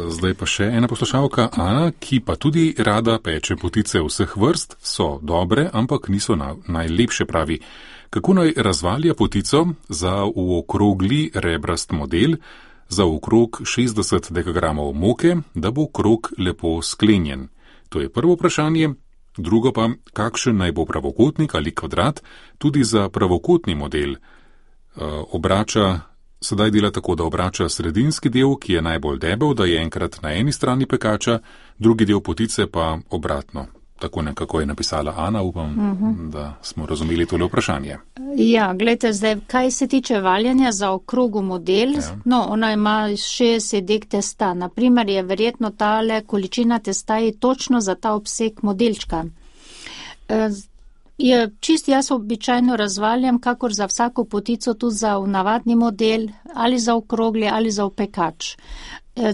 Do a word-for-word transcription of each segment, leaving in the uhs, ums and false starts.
Zdaj pa še ena poslušalka, Ana, ki pa tudi rada peče potice vseh vrst, so dobre, ampak niso na, najlepše, pravi. Kako naj razvalja potico za v okrogli rebrast model, za okrog šestdeset dekagramov moke, da bo krog lepo sklenjen? To je prvo vprašanje. Drugo pa, kakšen naj bo pravokotnik ali kvadrat, tudi za pravokotni model. Obrača, sedaj dela tako, da obrača sredinski del, ki je najbolj debel, da je enkrat na eni strani pekača, drugi del potice pa obratno. Tako nekako je napisala Ana, upam, uh-huh. da smo razumeli tole vprašanje. Ja, gledajte, zdaj, kaj se tiče valjanja za okrogu model, ja. No, ona ima šestdeset dek testa. Naprimer je verjetno tale količina testa je točno za ta obseg modelčka. Je čist jaz običajno razvaljam, kakor za vsako potico, tudi za navadni model, ali za okrogli, ali za opekač.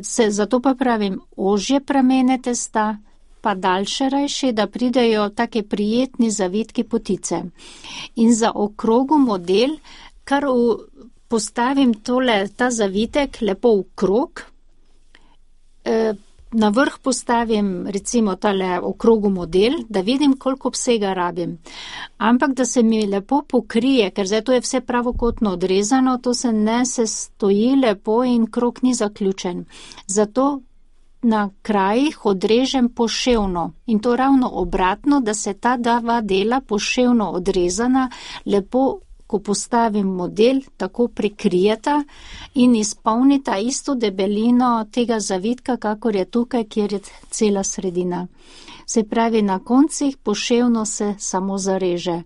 Se, zato pa pravim, ožje pramene testa, pa daljše rajše, da pridejo take prijetni zavitki potice. In za okrogu model, kar v, postavim tole, ta zavitek lepo v krog, e, na vrh postavim recimo tale okrogu model, da vidim, koliko obsega rabim. Ampak da se mi lepo pokrije, ker zdaj to je vse pravokotno odrezano, to se ne se stoji lepo in krog ni zaključen. Zato na krajih odrežem poševno in to ravno obratno, da se ta dva dela poševno odrezana lepo, ko postavim model, tako prekrijeta in izpolnita isto debelino tega zavitka, kakor je tukaj, kjer je cela sredina. Se pravi, na koncih poševno se samo zareže.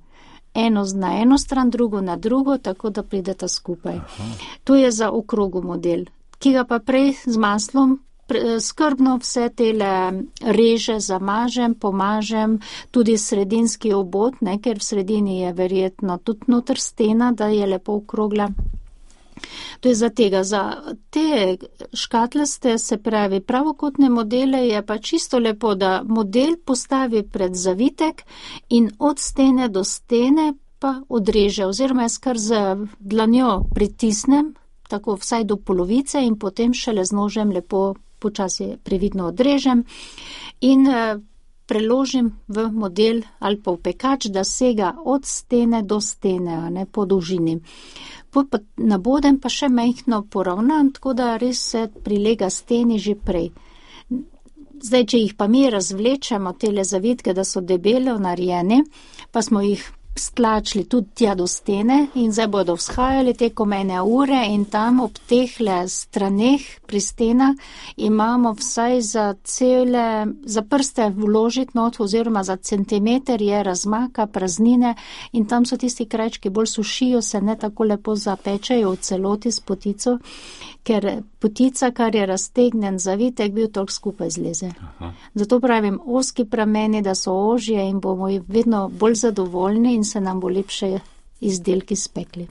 Eno na eno stran, drugo na drugo, tako da prideta skupaj. Aha. To je za okrogu model, ki ga pa prej z maslom skrbno vse tele reže zamažem, pomažem, tudi sredinski obod, ne, ker v sredini je verjetno tudi noter stena, da je lepo okrogla. To je za tega. Za te škatlaste, se pravi, pravokotne modele je pa čisto lepo, da model postavi pred zavitek in od stene do stene pa odreže, oziroma jaz kar z dlanjo pritisnem, tako vsaj do polovice in potem šele z nožem lepo počasi previdno odrežem in preložim v model ali pa v pekač, da sega od stene do stene, a ne po dolžini. Nabodem pa še majhno poravnam, tako da res se prilega steni že prej. Zdaj, če jih pa mi razvlečemo, tele zavitke, da so debelo narejeni, pa smo jih stlačili tudi tja do stene in zdaj bodo vzhajali tekom ene ure in tam ob tehle straneh pri stenah imamo vsaj za cele, za prste vložiti not oziroma za centimeter je razmaka, praznine in tam so tisti krajčki bolj sušijo, se ne tako lepo zapečajo v celoti s potico, ker potica, kar je raztegnen zavitek, bil toliko skupaj zleze. Aha. Zato pravim, ozki prameni, da so ožje in bomo vedno bolj zadovoljni in se nam bo lepše izdelki spekli.